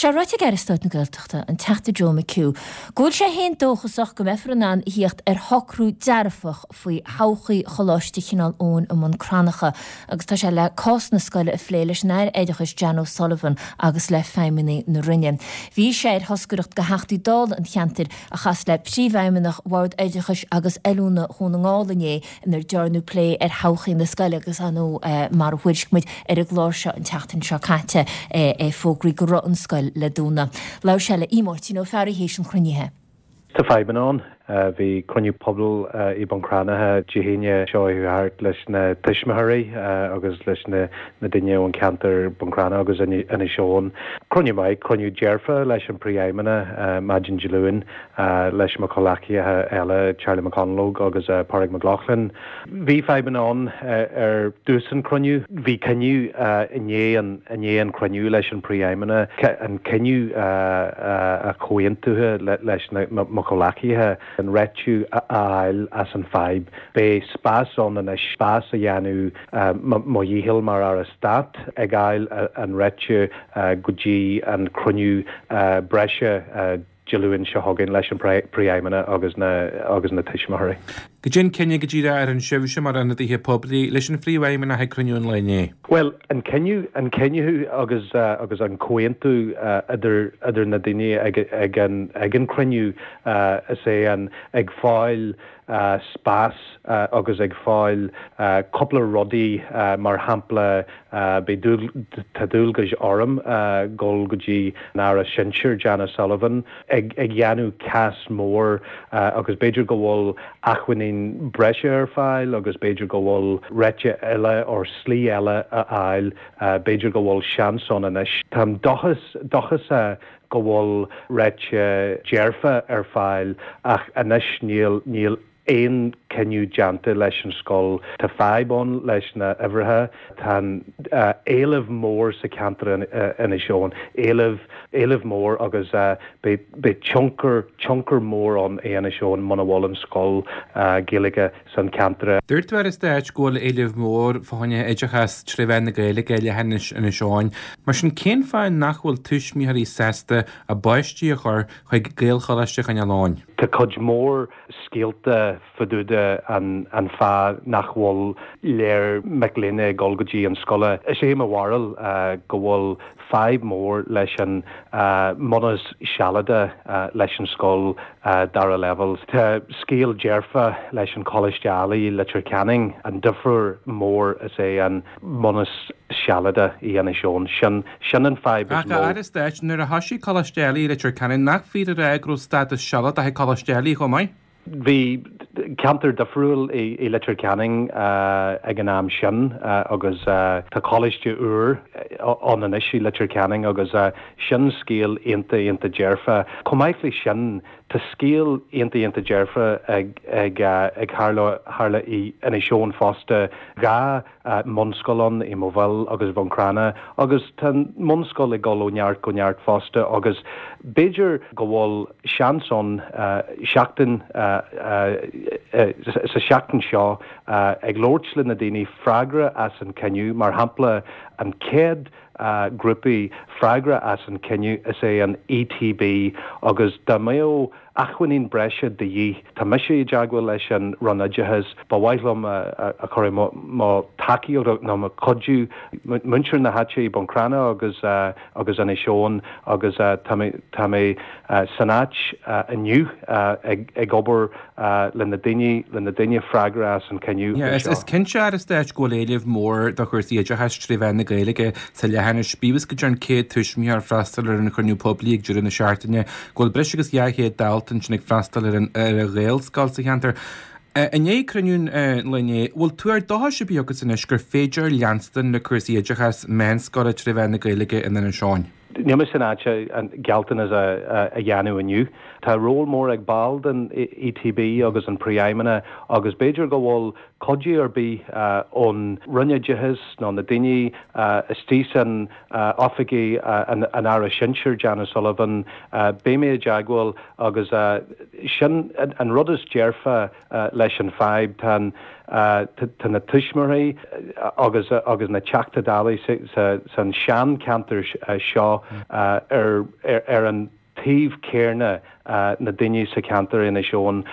Tá sé ráite ag Aire Stáit na Gaeltachta, an Teachta Joe McHugh, go bhfuil sé féin dóchasach go mbeifear in ann a thíocht ar shocrú dearfach faoi thodhchaí Choláiste Chineál Eoghain i mBun Cranncha agus tá sé le cás na scoile a phlé leis an Aire Oideachais Jan O'Sullivan agus le feidhmeannaigh na Roinne. Bhí sé ar thoscaireacht de Theachtaí Dála an cheantair a chas le Príomhfheidhmeannach Bhord Oideachais agus Oiliúna Dhún na nGall inné inar dearnadh plé ar thodhchaí na scoile agus ar ndóigh mar a thuairisc muid ar an gclár seo an tseachtain seo caite é fógraíodh go raibh an scoil le dúnadh. Labhair sé le Máirtín Ó Fearraigh théis an chruinnithe. Tá fadhbanna ann. Bhí cruinniú pobail i Bun Cranncha Dé hAoine seo chuaigh thart leis na tuismitheoirí agus leis na daoine ón cheantar Bun Cranncha agus Inis Eoghain. Cruinniú maith, cruinniú dearfa leis an Príomhfheidhmeannach maidin Dé Luain. leis mo chomhleacaithe eile, Charlie McConalogue agus Pádraig Mac Lochlainn. Bhí fadhbanna ann ar dtús an cruinniú. Bhí cinneadh i ndiaidh an i ndiaidh an cruinniú leis an Príomhfheidhmeannach, an cinneadh a chomhaontaithe leis na mo chomhleacaithe, an réitiú a fháil as an fadhb. Beidh spás ann anois, spás a dhéanamh mo dhícheall mar Aire Stáit ag fháil an réitiú go dtí an cruinniú breise Dé Luain seo chugainn leis an Príomhfheidhmeannach agus na agus na tuismitheoirí. Goidé an cinneadh go díreach ar fhan sibhse mar ionadaithe poiblí leis an Phríomhfheidhmeannach ag cruinniú an lae inné? Bhuel, an cinneadh, an cinneadh agus agus an comhaontú idir idir na daoine ag ag an ag an cruinniú is é an ag fáil spás agus ag fáil cúpla rudaí mar shampla beidh tá dualgais orm dul go dtí an Aire Sinsir Jan O'Sullivan ag ag dhéanamh cás mór agus b'fhéidir go bhfuil acmhainní breise ar fáil agus b'fhéidir go bhfuil réiteach eile or slí eile a fháil b'fhéidir go bhfuil seans ann anois. Táim dóchas dóchasach go bhfuil réiteach dearfa ar fáil ach anois níl níl aon cinneadh déanta leis an scoil. Tá fadhb ann leis na uimhreacha. Tá an éileamh mór sa cheantar Inis Eoghain, éileamh éileamh mór agus beidh beidh tionchar tionchar mór ann i Inis Eoghain muna bhfuil an scoil Gaeilge san ceantar. Dúirt an tAire Stáit go bhfuil éileamh mór fá choinne oideachas tré mheán na Gaeilge i leithinis Inis Eoghain. Mar sin, cén fáth nach bhfuil tuismitheoirí sásta a bpáistí a chur chuig Gaelcholáiste Chineál Eoghain? Tá cuid mhór scéalta fá dtaobh de an fáth nach bhfuil léir mic léinn ag dul go dtí an scoile. Is é mo bharúil go bhfuil fadhb mór leis an mbunús sealadach leis an scoil dara leibhéal. Tá scéal dearfa leis an Choláiste Ailigh i Leitir Ceanainn. An difear mór is é an mbunús sealadach i Inis Eoghain. Sin sin an fadhb is Ach a mó. Aire Stáit, nuair a thoisigh Coláiste Ailigh i Leitir Ceanainn, nach fíor a rá go raibh stádas sealadach ag Coláiste Ailigh chomh maith? Bhí ceantar difriúil i Leitir Ceanainn ag an am sin agus tá coláiste úr ann anois i Leitir Ceanainn agus sin scéal iontach iontach dearfa. Chomh maith leis sin, tá scéal iontach iontach dearfa ag ag ag tharla i Inis Eoghain fosta, 2 mbunscoil ann i Maigh Bhil agus Bhun Cranncha agus tá an mbunscoil ag dul ó neart go neart fosta agus b'fhéidir go bhfuil seans ann seachtain sa seachtain seo ag labhairt le na daoine freagra as an cinneadh mar shampla an chéad grúpaí freagra as an cinneadh is é an ETB agus dá mbeadh acmhainní breise de dhíth. Tá mise i dteagmháil leis an Roinn Oideachais. Ba mhaith liom a chur mo tacaíocht nó mo chuidiú muintir na háite i Bun Cranncha agus agus Inis Eoghain agus tá mé tá mé san áit inniu ag ag obair le na daoine le na daoine freagra as an cinneadh anseo. Is cinnte, Aire Stáit, go bhfuil éileamh mór do chúrsaí oideachais tré mheán na Gaeilge sa leithinis. Bíodh is go dtearn 100 tuismitheoir freastal ar an chruinniú poiblí ag deireadh na seachtaine, go bhfuil breis agus 200 dalta ansin ag freastal ar an Ghaelscoil sa cheantar. I ndiaidh cruinniú an lae inné, bhfuil tuar dóchais ar bith agat anois gur féidir leanstan le cúrsaí oideachais meánscoile tré mheán na Gaeilge in Inis Eoghain? Níl mé san áit an gealltanas a dhéanamh inniu. Tá ról mór ag ball den ETB agus an Príomhfheidhmeannach agus b'fhéidir go bhfuil cuidiú ar bith ón Roinn Oideachais nó na daoine istigh san oifigí an Aire Sinsir, Jan O'Sullivan, beidh mé i dteagmháil agus sin an rud is dearfa leis an fadhb. Tá an. Tá na tuismitheoirí agus agus na Teachtaí Dála san seancheantar seo ar ar an taobh céarna na daoine sa cheantar Inis Eoghain.